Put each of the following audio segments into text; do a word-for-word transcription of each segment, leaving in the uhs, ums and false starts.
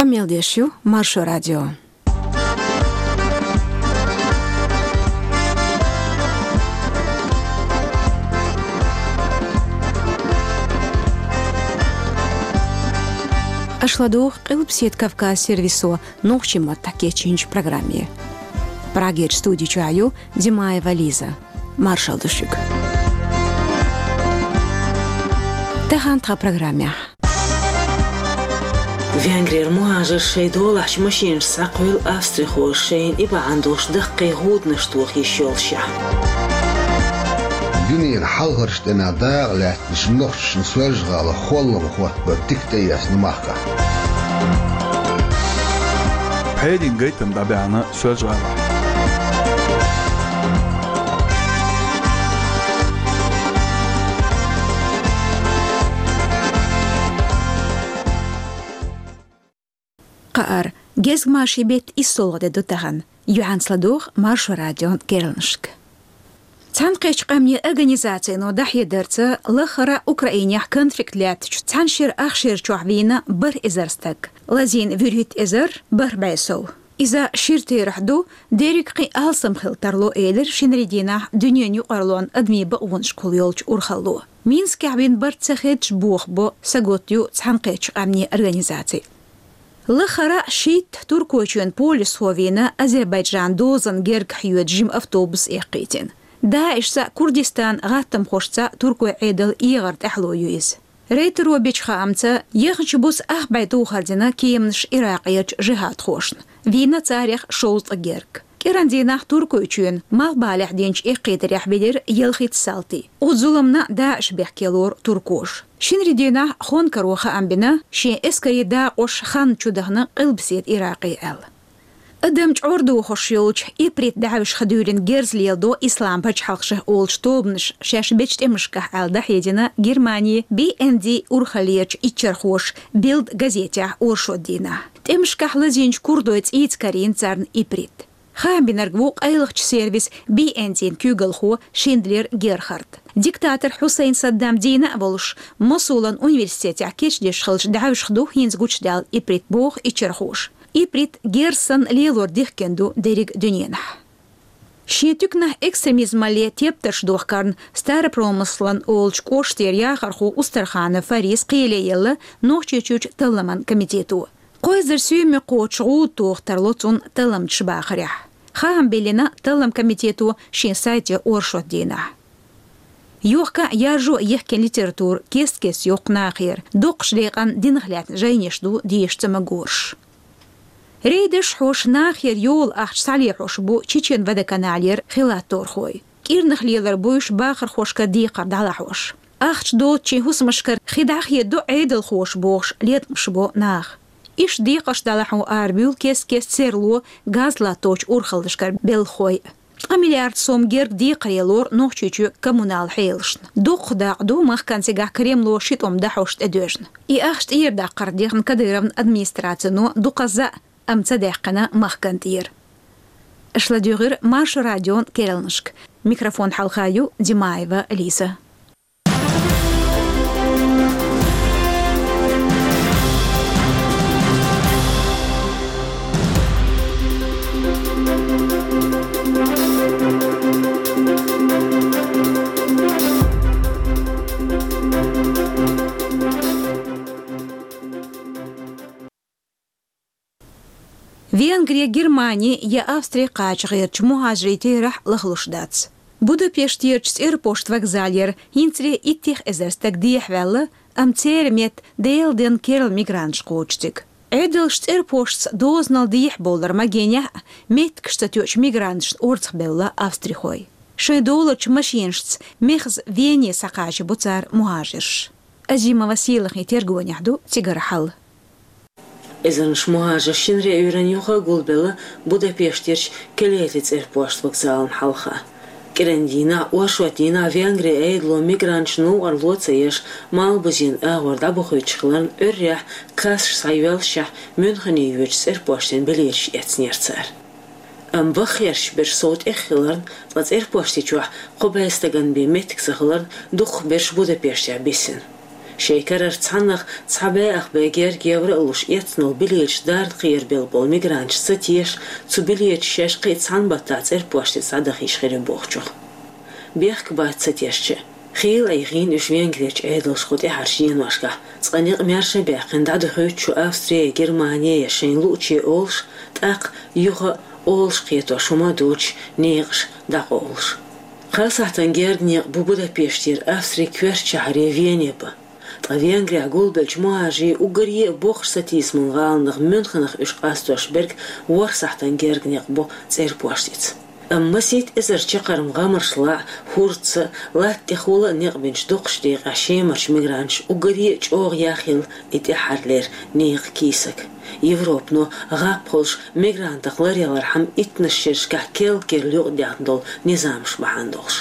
Мел деш ю Маршо радио. Аша ладугӀу Къилбаседа Кавказ сервисо нохчийн маттахь кечйинчу программе. Прагерчу студи чохь ю Димаева Лиза. Маршалла ду шуьга. Тахана тхан программехь. Венгрера мухӀажарш шайн долахьчу машинашца схьакхуьйлу австрихоша, шайна и бахьана долуш даккхий гӀуданаш тоха йиш йолушехь. Дуьненан хьалхарчу тӀамехь дакъа лаьттинчу нохчашна Соьлжа-ГӀалахь холлам хӀоттабар дика тӀеэцна махкахь. Пхьерийн гайтам дӀабаьхьна Соьлжа-ГӀалахь. Кхаара, гезгмашин беттан иссолгӀа де ду тахана. Юьхьанца ладугӀу Маршо радион керланашка. Цхьаьнакхеттачу къаьмнийн организацино дӀахьедарца, лаххара Украинехь конфликт лаьттачу цхьана шеран ах шерачохь вийна бархӀ эзар стаг. Лазийна вуьрхӀитта эзар бархӀ бӀе сов. Иза шира терахь ду, дерриг кхин алсам хила тарло, элира шинарин дийнахь дуьненан юкъарлонан адамийн бакъонашкахула йолчу урхалло. Минскехь вина барт ца хеддаш бохабо, сагатдо цхьаьнакхеттачу къаьмнийн организаци. Лаххара шийтта Туркойчоьнан полисхо вийна Азербайджанан дозанна герга хьоьду жима автобус эккхийтина. ДАИШца, Курдистанан гӀаттамхошца туркойн Ӏедалан эгӀар тӀаьхьало ю иза. Рейтаро бечу хаамца, яхначу буса ах бӀе тухар дина кеманаш Иракъерчу жихӀадхошна, вийна царех шовзткъа герга. КӀиранан дийнахь Туркойчоьнан малхбалехь динчу эккхийтарехь вилира ялхитта салти. Оцу зуламна ДАИШ бехке лору туркоша. Шинарин дийнахь Хонкаро хаам бина, шен эскарийн дакъош ханна чудахана Къилбаседа Иракъе аьлла. Адам чӀор дохош йолчу иприт даьӀвашха дуьйрина герз леладо Ислам пачхьалкх шайх олучу тобанаша шаьш бечу тӀемашкахь аьлла дӀахьедина Германин би-эн-ди урхаллерчу иччархоша Билд газетехь оршот дийнахь. ТӀемашкахь лазийначу курдойн цӀийца карийна царна иприт. Хаам бинарг ву къайлахчу сервисан би-эн-дин куьйгалхо Шиндлер Герхард. Диктатор Хьусайн Саддам дийна а волуш, Мосулан университетехь кечдеш хилча даьӀвашха ду хӀинца гучудаьлла иприт, боху иччархоша. Иприт герз санна лелор дихкина ду дерриг дуьненахь. Шен туьканахь экстремизмалле тептарш дохкарна Старопромыслан олучу кӀоштера яхархо Устарханов Фарис кхеле елла Нохчийчуьрчу талламан комитето. Кхо эзар сийлахь кхочуш гӀуда тоха тарло цунна талламчаша бахарехь. Хаам биллина таллам комитето шен сайте оршот дийнахь. Йохка а, яржо а йихкина литература кест-кеста йоккху нахера, дукхачу декъана динах лаьцна жайнаш ду деша ца магораш. Рейдаш хьош нахера йола ахча схьалехьош бу Чечен-Водоканалера хилатторхой. КӀирнах лелар буйш бахархошкара декхар дӀалахьош. Ахча доцучийн хӀусамашкара хи дӀахедо Ӏедалхоша бохуш, леткъамаш бо наха. Иштта декхарш дӀалахьо арабуьйлу кест-кеста серло газ латточу урхаллашкара белхахой. Ткъа миллиард сом герга декхаре лору Нохчийчоь коммунал хьелашна. Дукха дакъа ду махкана цигахь Кремло ши тӀом дахьош тӀедоьжна. И ахча тӀера даккхар дехна Кадыровн администрацино дукхазза, амма ца даьккхина махкана тӀера. Аша ладуьйгӀира Маршо радион керланашка. Микрофон хьалха ю Димаева Лиза. Венгри, Германи я Австри кхача гӀертачу мухӀажарийн терахь лахлуш дац. Будапештерчу цӀерпошт вокзалера хӀинцале иттех эзар стаг дехьаваьлла, амма церан метта Делан денна керла мигранташ кхочу цига. Ӏедалша цӀерпоштца дозанал дехьабовлар магийнехь а, меттигаш ца тоьучу мигранташна орцахбевлла австрихой. Шайн долучу машинашца мехаза Вене схьакхача бу цара мухӀажарш. Азимова Сийлахин тергонехь ду цигара хьал. Эзарнаш мухӀажар шинарин Ӏуьйранна юха а гулбелла Будапештерчу Келети цӀерпошт вокзална хьалха. КӀиранан дийнахь, оршот дийнахь Венгрин Ӏедало мигранташна новкъарло ца еш, Малхбузен агӀор дӀабохуьйтуш хиларна, Ӏуьйррехь кассаш схьайоьллушехь, Мюнхене йоьдучу цӀерпоштан билеташ эцнера цара. Амма ваххерчу берш сов тӀех хиларна, ткъа цӀерпошти чохь кхо бӀе стагана бен меттиг ца хиларна, дукхахберш Будапештехь бисина. Шайн карара цхьаннахьа цхьа бӀе ах бӀе герга евро а луш, эцнал билеташ дарна кхерабелла болу мигранташ ца теша, цу билеташ шаьш кхин а цхьана баттахь цӀерпошца дӀадахийта хир ю бохучух. Бехк бац ца тешча а. Хийла Ӏийхийна уьш Венгрерчу Ӏедалша кху тӀаьхьарчу деношкахь. Цкъа некъ маьрша а баьккхина, дӀадохуьйту шу Австри я Германи я шайна луучу олуш, тӀаккха юха а олуш кхетош хӀума а доцуш, некъаш дӀакъовлуш. Кхаа сахьтана герга некъ бу Будапештера Австрин коьртачу шахьаре Вене бан. Ткъа Венгрехь гулбеллачу мухӀажарийн уггаре а боккхачу сатийсаман гӀаланах Мюнхенах уьш къастош берг ворхӀ сахьтана герга некъ бу цӀерпошца. Амма масийтта эзар чаккхарма гӀамарш лаахь, хӀордца а, латта тӀехула а некъ бинчу дукхачу декъехь Шемарчу мигранташа уггаре а чӀогӀа яхъелла и тӀаьххьарлера некъан кийсак. Европано гӀап хуьлуш, мигрантах ларъялархьама иттаннаш шерашкахь керла-керла юкъадаьхна долу низамаш бахьана долуш.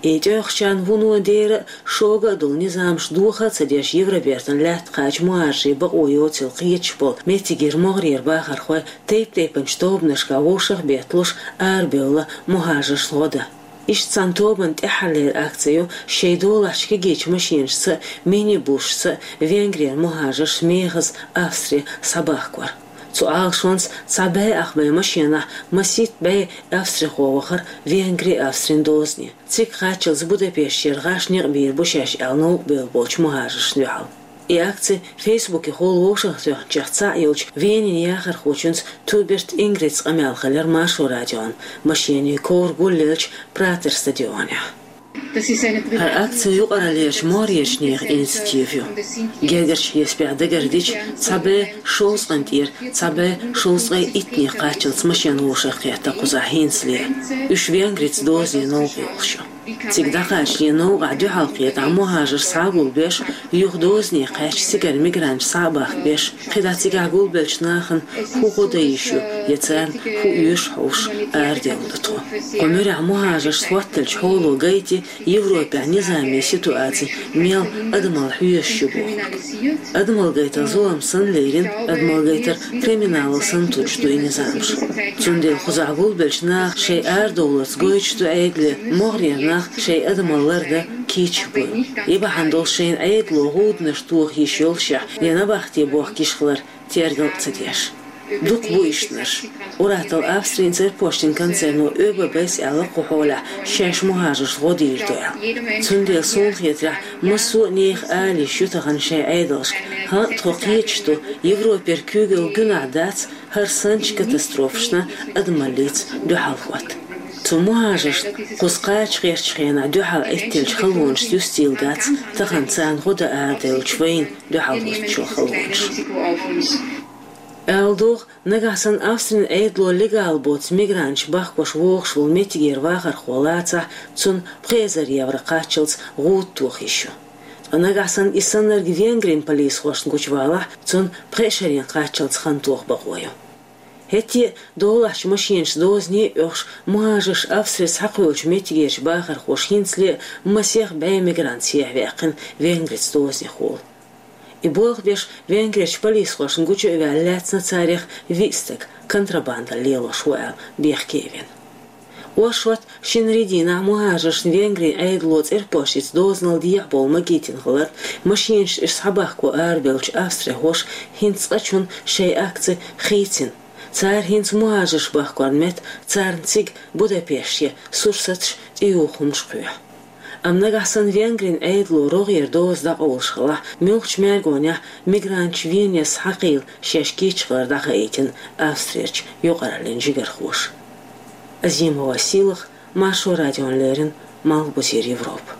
И тӀехьарчарна вуно дера а, шога а долу низамаш доха а ца деш, Евробертан лаьтта кхача мухӀажарийн бакъо йоцийла кхеташ болу меттигера могӀарера бахархой тайп-тайпанчу тобанашкахь вовшах а бетталуш арабевлла мухӀажаршна гӀо дан. Иштта цхьана тобанан тӀаьххьарлера акци ю шайн долахьчу кегийчу машенашца а, минибусашца а Венгрера мухӀажарш мехаза Австре схьабахкор. Цу Ӏалашонца цхьа бӀе ах бӀе машенахь масийтта бӀе австрихо вахара Венгри-Австрин дозане. Цига кхаччалц Будапештера гӀаш некъ бийр бу шаьш аьлла новкъа бевлла болчу мухӀажаршна дуьхьал. И акци Фейсбукехула вовшахтоьхначех цхьаъ йолчу Венин яхархочуьнца Тюберт Ингрица къамел хилира Маршо радион, машенийн ковра гулъеллачу Пратер стадионехь. ХӀара акци юкъараллерчу могӀарерчу нехан инициатива ю. Гергарчу хьесапехь дагардича, цхьа бӀе шовзткъа тӀера цхьа бӀе шовзткъе итт нехан кхаччалц машен вовшахкхетта кхузахь хӀинцале. Уьш Венгрица дозане новкъа йолуш ю. Цига дӀакхачале новкъахь дуьхьал кхетахь мухӀажарш схьагулбеш, юха дозане кхаьчча цигара мигранташ схьа а бахкабеш, кхидӀа цигахь гулбеллачу нахана хӀун гӀо дан йиш ю я царна хӀун оьшу хьовсуш арадевлла ду тхо. Кху муьрехь мухӀажаршца хӀотталчу хьоло гайти Европехь низамийн ситуаци мел адамалла хьоьжуш ю бохург. Адамалла гайтар зулам санна лерина, адамалла гайтар криминалал санна туьллуш ду и низамаш. Цундела кхузахь гулбеллачу наха шайн арадовларца гойтуш ду Ӏедале, могӀарера нах шайн адамалла лардан кийча буй. И бахьана долуш шайна Ӏедало гӀуданаш тоха йиш йолушехь, я набахте бохка йиш хилар тергал а ца деш. Дукха бу ишттанаш. Ур-атталла Австрин цӀерпоштин концерно ОББ-с аьлла кху хьолехь шаьш мухӀажаршна гӀо дийр ду аьлла. Цундела суна хетарехь, массо а нехан ала йиш ю тахана шайн Ӏедалшка. ХӀаъ, тхо кхеташ ду, Европера куьйгалла гуьнахь дац хӀара санначу катастрофашна адамаллица дуьхьал хӀотта. Цу мухӀажаршна кхуза кхача гӀертачу хенахь дуьхьал Ӏиттеллачу халонашца юстийла дац тахана царна гӀо дан арадевллачу вайна дуьхьал хӀоттачу халонашна. Ала догӀу, нагахь санна Австрин Ӏедало легал боцу мигранташ бахкош вогӀуш волу меттигера вахархо лацахь, цунна пхи эзар евро кхаччалц гӀуда тоха йиш ю. Ткъа нагахь санна и саннарг Венгрин полисхошна гучувалахь, цунна пхи шарийн кхаччалц хан тоха бакъо ю. ХӀетте а долахьчу машенашца дозане а оьхуш, мухӀажарш Австрица схьакхуьйлучу меттигерчу бахархоша хӀинцале а масех бӀе мигрант сехьаваьккхина Венгрица дозанехула. И болх беш Венгрерчу полисхошна гучу а ваьлла, лаьцна царех виъ стаг контрабандалла лелош ву аьлла бехке а вина. Оршот шинарин дийнахь мухӀажаршна Венгрин Ӏедало цӀерпошица дозанал дехьабовла магийтина хилар, машенаш уьш схьабахко арабевллачу австрихоша хӀинца цкъачунна шайн акци хийцина. Цара хӀинца мухӀажарш бахкорна метта царна цига Будапеште сурсаташ, тӀеюхамаш кхоьхьу. Амма нагахь санна Венгрин Ӏедало рогӀера доза дӀакъовлуш хилахь, муьлххачу мергонехь мигранташ Венера схьакхийла шаьш кийча хилар дӀахаийтина Австрерчу юкъараллин жигархоша. Азимова Сийлаха, Маршо радиона леррина, Малхбузера Европа.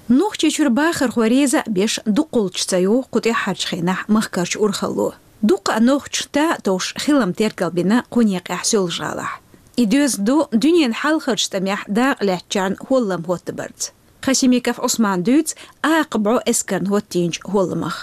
Нохчийчуьра бахархой реза а беш, дукхаллаш ца ю кху тӀаьххьарчу хенахь махкарчу урхалло. Дуккха а нохчаша та а товш хилам тергалбина кху некъехь Соьлжа-ГӀалахь. И доьзна ду дуьненан хьалхарчу тӀамехь дакъа лаьцначарна хӀоллам хӀоттабарца. Хасимиков Ӏусмана дуьйцу акха бӀо эскарна хӀоттийначу хӀолламах.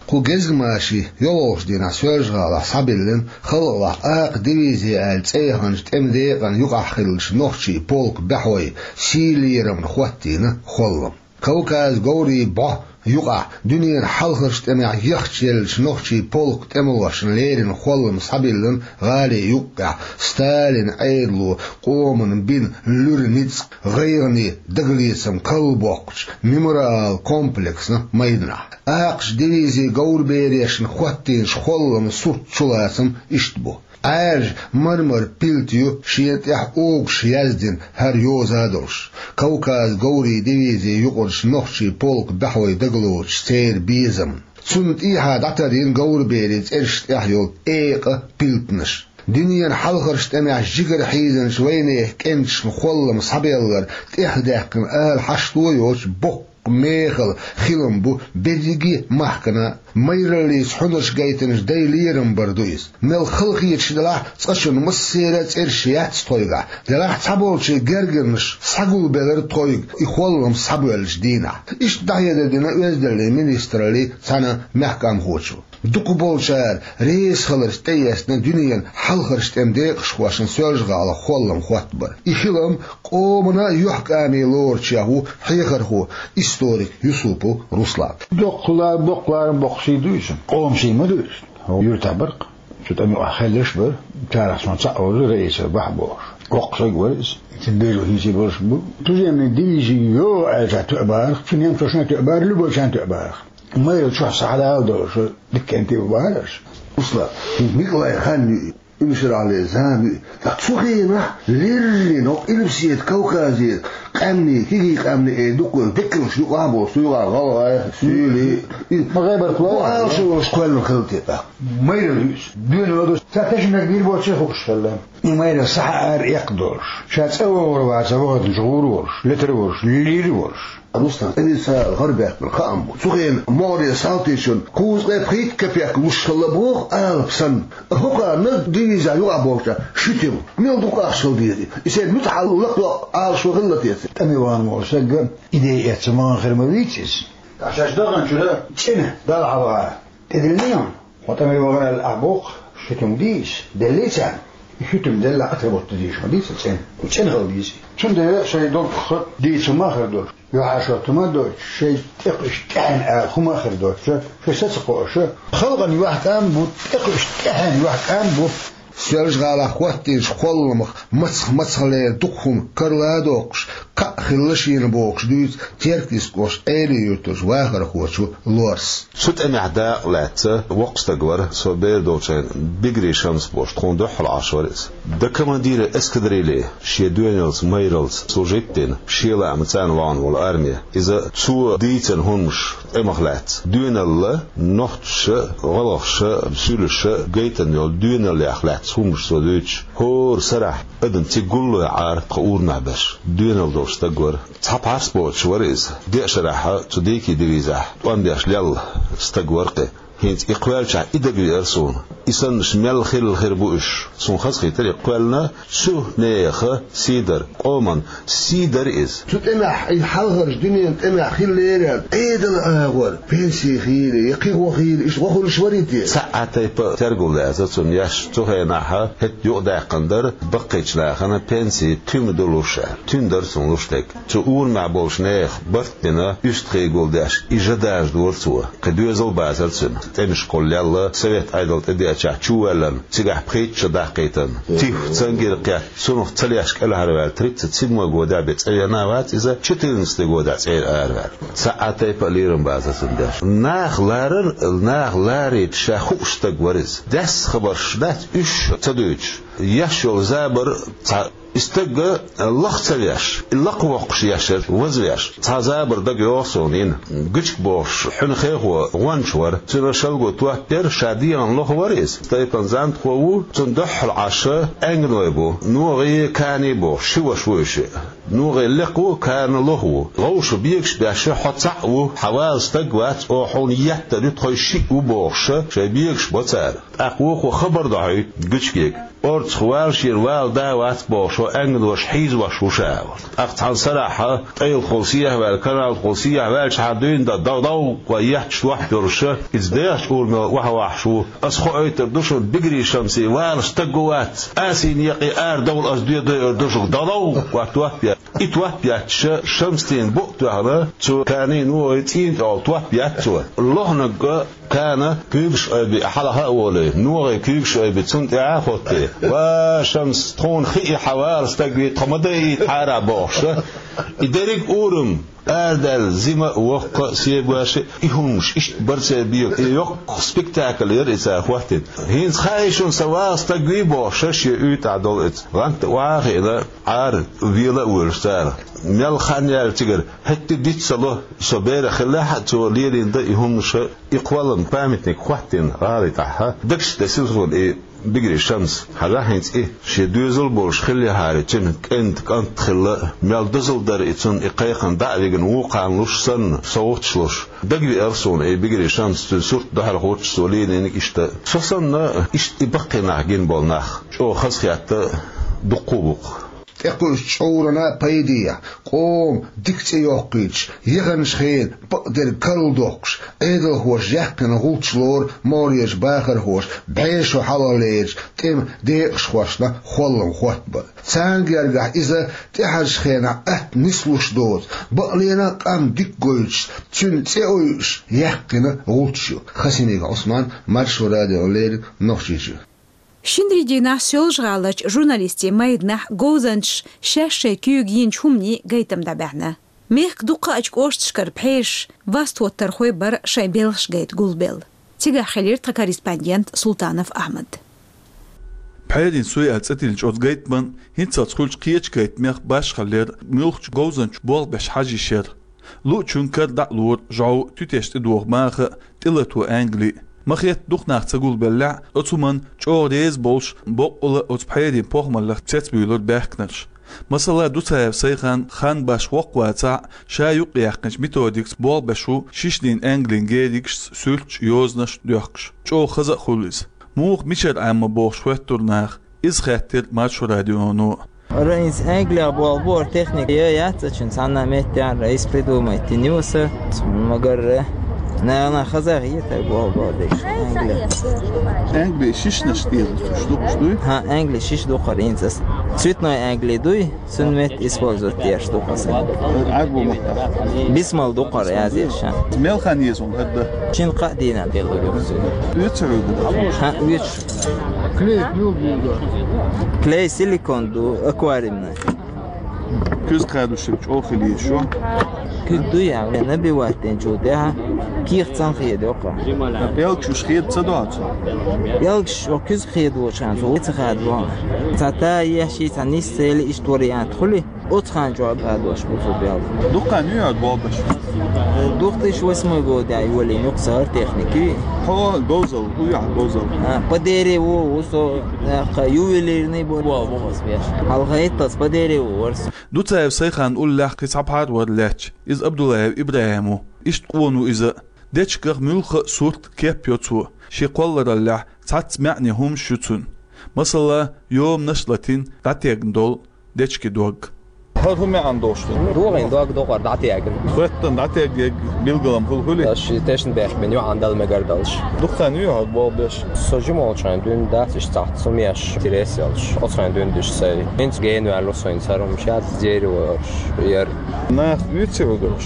Кху гезгмашин йолхалгӀачу дийнахь Соьлжа-ГӀалахь схьабиллина халкъалахь акха дивизи аьлла цӀе яханчу тӀеман декъана юкъахь хиллачу нохчийн полкан бӀехой сийлаллехь хӀоттийна хӀоллам. Кавказан говрийн бӀо Юкъахь дуьненан хьалхарчу тӀамехь яхча еллачу нохчийн полкан тӀемалошна леррина холлам схьабиллина гӀали юккъехь, Сталинан Ӏедало къомана бина луьра ницкъ, гӀайгӀане дагалецам кхалла боккхучу мемориал комплексна майданахь. Акхачу дивизин говраберашна хӀоттийначу холламан сурт чулацам иштта бу. Ӏаьржа мармар пилта ю шена тӀехь огуш яздина хӀара йоза а долуш, Кавказ говрийн дивизин юкъарчу нохчийн полкан баьхой дагалоцуш церан безамна. Цунна тӀехьа дӀатарйина говраберийн цӀерашна тӀехь йолу экъа пилтанаш. Дуьненан хьалхарчу тӀамехь жигара хьийзинчу вайнехан кӀенташна холлам схьабеллар тӀехдаьккхина ала хьашто йоцуш боккха мехала хилам бу берриге а махкана. Майраллица хьунарш гайтинчу дайн лерам бар ду иза. Мел халахеташ делахь а, цкъачунна массеран а цӀераш яц тхоьгахь, делахь а цхьаболчийн гергарнаш схьагулбелира тхоьга и холлам схьабоьллачу дийнахь. Иштта дӀахьедар дина Оьздангаллин министраллин цхьана мехкамхочо. Дукхахболчара резахиларца тӀеэцна дуьненан хьалхарчу тӀеман декъашхошна Соьлжа-ГӀалахь холлам хӀоттабар. И хилам къомана юьхькӀаме лоручех ву хьехархо, историк Юсупов Руслан. Доккха ла-, доккха ларам боккхуш ду иза. Къоман сий ма ду иза. Юьртахь бара-кх цу тӀаман юкъахь хилларш а бара. Царах цунах цхьаъ вара Раиса Бахьа бохуш. Воккха стаг вара иза. Цуьнан бераш хӀинца а болуш бу. Туземный дивизи йогӀу аьлча тоьа бара-кх. Цу немцошна а тоьа бара, любойчарна а тоьа бара-кх. Майралла чохь схьадала долуш дика кӀентий бу бахара аша. Руслан, хӀинца Николайн хан ю и, уьш шарахь ле зама ю и. Ткъа цу хенахь леррина хӀокху Къилбаседа Кавказера къаьмнийн, кегий къаьмнийн, э, дуккха деккалш юкъахь а болуш, цу юкъахь гӀалгӀай, суьйлий, и ма гӀайбарх ву, алашо волуш кхоьллина хилла те тӀаккха? Майралла ю иза. Доьналла долуш, цара тешнабехк бийр боций хууш хилла. И майралла схьа ара эккха долуш, ша цӀа вогӀур вац вахийтинчу гӀур волуш, летар волуш, лийр волуш. Руслан, тӀе дуьйцу гӀара баьккхина хаам бу. Цу хенахь могӀаре салтичунна кхузткъе пхийтта капек луш хилла боху алапа санна. ХӀокхарна дивизехь юкъахь болчарна ши туьма. Мел дукха ахча хила деза и? И сайн муьтӀахь лакхадоккху алашо хилла те церан? ТӀаме вахана волу стаг идея эцна вахана хир ма вийца иза. Ткъа шаьш даханчуьра цӀена Далла хьалха тӀедиллина. Хьо тӀаме вахана аьлла ахь боху, ши туьма дийца, деллий царна? И ши туьма делла, отработать дийша ма дийца цӀена. ЦӀена хила дийца. Цундела шайн долчух дийца ма хир долуш, юьхьӀаьржа хӀоттам а доцуш, шайн тӀекху иштта тӀаьхьенна ала хӀума а хир доцуш, шайн са ца кхоош, халкъана юьхькӀам а бу, тӀекху иштта тӀаьхьенна юьхькӀам а бу. Соьлжа-ГӀалахь хӀоттийначу холламах мацах-мацахлера дукха хӀума карла а доккхуш, кхаъ хилла шена бохуш дуьйцу Теркйистан кӀоштан Ӏелин-Юьртарчу вахархочо Лорас. Цу тӀамехь дакъа лаьцна воккха стаг вара, со бер долчу хенахь Бигри Шамс бохуш, тхуна дуьххьал Ӏаш вара иза. До командира эскадрильи шен доьналлица, майраллица служить дина, шен лаамца царна вахана волу арме. Иза цо дийцина хӀуманаш тӀамах лаьцна, доьналла, нохчаша, гӀалгӀаша, суьйлаша гайтина йолу доьналлех лаьцна хӀуманаш цо дуьйцуш, хӀора сарахь адам цига гулло Ӏара тхан урамехь берш, доьналла долуш стаг вара. Цхьа пхьарс боцуш вара иза. Деа шарахь цу дийкин дивизехь тӀом беш лелла стаг вара-кх и. ХӀинца и кхоьллинчохь и дагавеара суна. И саннаш мел хилла хир бу уьш. Суна хазахийтира и кхоьллина цу нехан сий дар, къоман сий дара иза. Цу тӀамехь, и хьалхарчу дуьненан тӀамехь хиллера Ӏедалан агӀор, пенси хийла, я кхин гӀо хийла, иштта гӀо хуьлуш варий те? Цхьа а тайпа тергал даьлла цунна еш, цу хенахь хӀетта юкъадаьккхина дара баккхийчу нахана пенси туьма ду луш аьлла. Туьма дара цунна луш дерг. Цу урамехь болчу нехан барт а бина, уьстагӀий гулдеш, и жа дажадора цо. Кхин доьзал а бацара цуьнан. ТӀемаш кхоллаелла, совет Ӏедал тӀедеачахь чу воьллина, цигахь пхийтта шо даккхийтина. Тиф, цангир кхетта, цунах ца леш кӀелхьарваьлла, тридцать седьмой годехь бен цӀа вена а вац иза, четырнадцатый годехь цӀера араваьлла. Цхьа а тайпа а лерам бацара цунна деш. Нах ларар, нах ларийта ша хууш стаг вара иза. Даьсса хабарш дац уьш ца дуьйцуш. Еш йолу забар цхьа И стаг лаха ца веш, и лакхавоккхуш еш яра, вазвеш. Цхьа забар дага йогӀу суна йина. Гучка бохуш, хьуьнан хехо гӀонча вара. Цуьнан шалго топ яра, ша дегӀана лоха вара иза. Стайпан Зантхо ву, цунна дуьххьал Ӏаш Аьнганой бу. НогӀий, Кани бохуш, ши ваша ву уьш. НогӀий лекха ву, Кани лоха ву. ГӀовша бегаш беш, хьо цхьаъ ву, хьан вала стаг вац, оха хьуна еттар ю, тхо шиъ ву бохуш, шайн бегаш бо цара. ТӀаккха вукхо хабар дохьуьйту гучкега. Орцах вала шена вала да а вац бохуш, хьо Аьнганош хьийзош ву ша, аьлла. ТӀаккха цхьана сарахь, ТӀайлахула сехьаваьлла, Каналахула сехьаваьллачхьана дуьйна дан, дов-дов, вай етташ доп йолуш, иза дехачу урамел охьавахьаш ву. Ас хоуьйтур ду шуна, Бигри Шамси вала стаг ву вац. Асийна екъий ара довла, ас доьдуьйтур ду шуьга, дов-дов, вай топ е. И топ яьчча, Шамсдина букъ тоьхна, цу кӀанин ногӀи цӀийнан тӀехула топ яьчча, лохнаг кӀана куьйгаш айбе хьалха а волий, ногӀи куьйгаш айбе цунна тӀехьа а хоттий. «Ва, Шамс, тхуна хи и хьавала стаг вий, тхо ма дайийта хьарахь», — бохуш. И дерриг урам арадаьлла, зима а, воккха а, сегош а, и хӀуманаш иштта бара церан бегӀа. И йоккха спектакль яра и цара хӀоттийна. «ХӀинца хаьий шуна, сан вала стаг вий?» — бохуш, шен уьйтӀахь долу иза. ГӀанта охьа а хиъна, Ӏара вела а воьлуш цара. Мел хан яьлла цигара, хӀетте а диц ца ло, со берах хиллехь а, цо лелийна дан и хӀуманаш, и кхоллам, памятник хӀоттийна гӀалин тӀехь. Дагчу тӀе силхула и Бигри Шамс. Хьажахь хӀинца и, шен доьзал болуш хиллехьара, цуьнан кӀентан кӀант хилла, мел дозалла дара и цунна, и кхайкхина дӀа а вигна, вукхарна луш санна, совгӀаташ луш. Дагавеара суна и Бигри Шамс, цуьнан сурт дуьхьал хӀуттуш, цо лелийнарг иштта. Со санна, иштта и баккхий нах гина болу нах чӀогӀа хазахетта дуккха а бу-кх. ТӀекхуьуш чӀурана пайдехь, къоман дика цӀе йоккхуьйтуш, яханчу хенан бакъдерг карладоккхуш, Ӏедалхоша яьккхина гӀулч лору могӀарерчу бахархоша, бӀешо хьалхалерчу тӀеман декъашхошна холлам хӀоттабар. Царна гергахь иза тӀаьхьарчу хенахь атта нислуш доцу, бакъ лена а къам дика гойтуш, цуьнан цӀе ойуш яьккхина гӀулч ю. Хасимиков Ӏусман, Маршо радиона леррина, Нохчийчоь. Шинарин дийнахь Соьлжа-ГӀаларчу журналистийн майданахь говзанчаша шаьш шайн куьйга йинчу хӀуманийн гайтам дӀабаьхьна. Мехкан дукхахчу кӀошташкара пхьераш, васт-хӀоттархой бара шайн белхаш гайта гулбелла. Цигахь хилира тхан корреспондент Султанов Ахьмад. Пхьерийн суй аьлла цӀе тиллинчу оцу гайтаман хӀинццалц хуьлучу кхечу гайтамех башхаллера муьлххачу говзанчо болх беш хьажа йиш яра. Луучун кара дӀа а лора, жӀов, туьтеш тӀедогӀу маха а, тӀелато ангали а. Ма-хетта дукха нах ца гулбеллехь а, оцу хӀуманна чӀогӀа реза болуш, боккъала а оцу пхьерийн похӀмаллех цецбуьйлура баьхкинарш. Масала, Дуцаев Сайхан хан башха воккха вацахь а, ша юкъаяьккхинчу методикаца болх беш ву шишдийн ангалин геригашца суьрташ а, йозанаш а доьхкуш. ЧӀогӀа хаза а хуьлу иза. Муха, мичара Ӏемма бохуш хоьттура наха. Иза хаьттира Маршо радионо. Ара, хӀинца Англехь болх бу, ара техника я яц ачун, цхьанна меттехь ара иза придумать йина ю аса, магар, э, наьхна хаза хетара болх бу деш Англехь. Англи шишнаш тӀера цуьнан дукхаш дуй? ХӀан, англи шиша дукхара хӀинца аса. Цветной англи дуй, цуьнан метта использовать деш дукха аса. Ӏарбо маттахь. Бисмал дукхара язъеш. Мел хан еза хӀара дан? Шина-кхаа дийнахь. Оьцу хьуьгу? ХӀан, оьцу. Клей мила ду? Клей силикон ду, аквариумный. Куьзга хадош чӀогӀа хила еза шу? Куьг дуй, я набивать динчул тӀаьхьа кехат цхьаьна хедо-кх. ПӀелгаш уьш хеда ца до хьо цо? ПӀелгаш оха куьзга хедочу хенахь цо ца хадо. Цхьа та еш, цхьа нисса ели, иштта вариант хуьлий? Оцу хенахь чохь хадош бу цо пӀелг. Дукха хан ю хьо болх беш? Две тысячи восьмой годехь йолийна ю-кх сан хӀара техника. Хьо говзалла, хӀун ю хьан говзалла? А, по дереву ву со, нах ювелирный бу, бу, бу, бу, беш. Хьалха хӀетталц по дереву вара со. Дуцаев Сайханан уллехь кхин цхьа пхьар вара лаьтташ, иза Абдуллаев ИбрахӀим ву. Иштта къона ву иза. Дечигах муьлхха а сурт, кеп йо цо. Шен кхоллараллехь цхьацца маьӀне хӀуманаш ю цуьнан. Масала, йоманаш а латийна, дӀатегна долу дечиган дог. ХӀара хӀун маьӀна долуш ду? ДогӀина дог дукхара дӀатегна. Хоьттина дӀатегнарг билгал-м хуьлу, хуьлий? Аш тешна бехк бина, юьхьанца дала мегар долуш. Дукха хан ю хьо болх беш? Со жима волчу хенахь дуьйна дац, иштта цхьацца хӀума еш, интерес йолуш. Оцу хенахь дуьйна дуьйш сай. ХӀинца гена ваьлла со хӀинца хӀара хӀума, шаьш дереву йолуш яра. Нах оьцу хьуьгурш?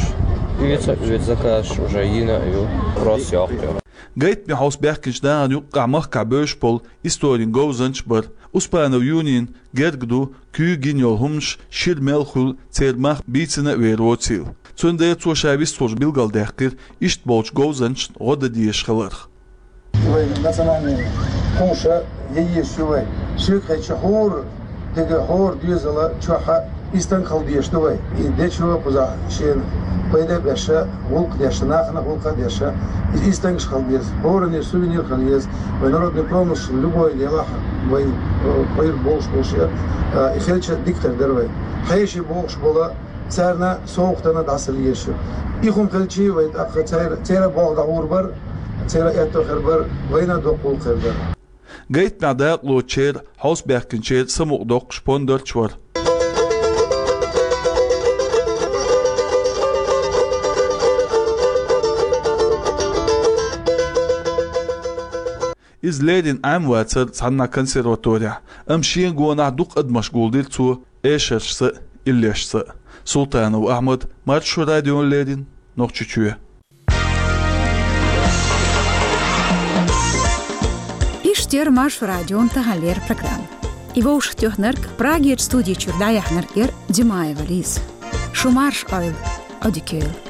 Оьцу, оьцу, заказ уже йина а ю, просто йоккху. Гайтаме хьовса баьхкинчу нахана юккъехь махкахь бевзаш болу историн говзанча бара. Успанов Юнин герга ду, куьйга йина йолу хӀуманаш шира мел хуьлу церан мах бийцина а вер воцийла. Цундела цо ша вистхуьлуш билгалдаьккхира иштта болчу говзанчашна гӀо дан дезаш хиларх. Вайн национальный хӀуманаш яйеш ю вай. Ширкхечу хӀора деган, хӀора доьзала чохь а истанг хила дезаш ду вай. И дечо кхузахь шена пайда а беш, гӀуллакх а деш, нахана гӀуллакх а деш, и истангаш хила деза. ХӀоранна сувенир хила еза. Вай народный промыслаш любой делахь вай, э, пайда болуш болуш, э, и хилча дика хир дара вай. Хьеший бохуш бола, царна совгӀатана дӀасалла езаш ю. И хӀума хилчий вай тӀаккха церан, церан болх дӀагӀур бара, церан аьтто хир бара, вайна доккха гӀуллакх хир дара. Гайтамехь дакъалоцучеран, хьовсабаьхкинчеран самукъадоккхуш пондарш а бара. Иза леррина Ӏемавацара цхьанна консерваторехь, амма шен гонахь дукха адамаш гулдира цо эшаршца а, иллешца. Султанов Ахьмад, Маршо радиона леррина, Нохчийчоь. Иштта яр Маршо радион таханлера программа. И вовшахтоьхнарг, Прагерчу студи чуьра дӀаяьхьнарг яр Димаева Лиза. Шу марша Ӏойла, Ӏодика йойла.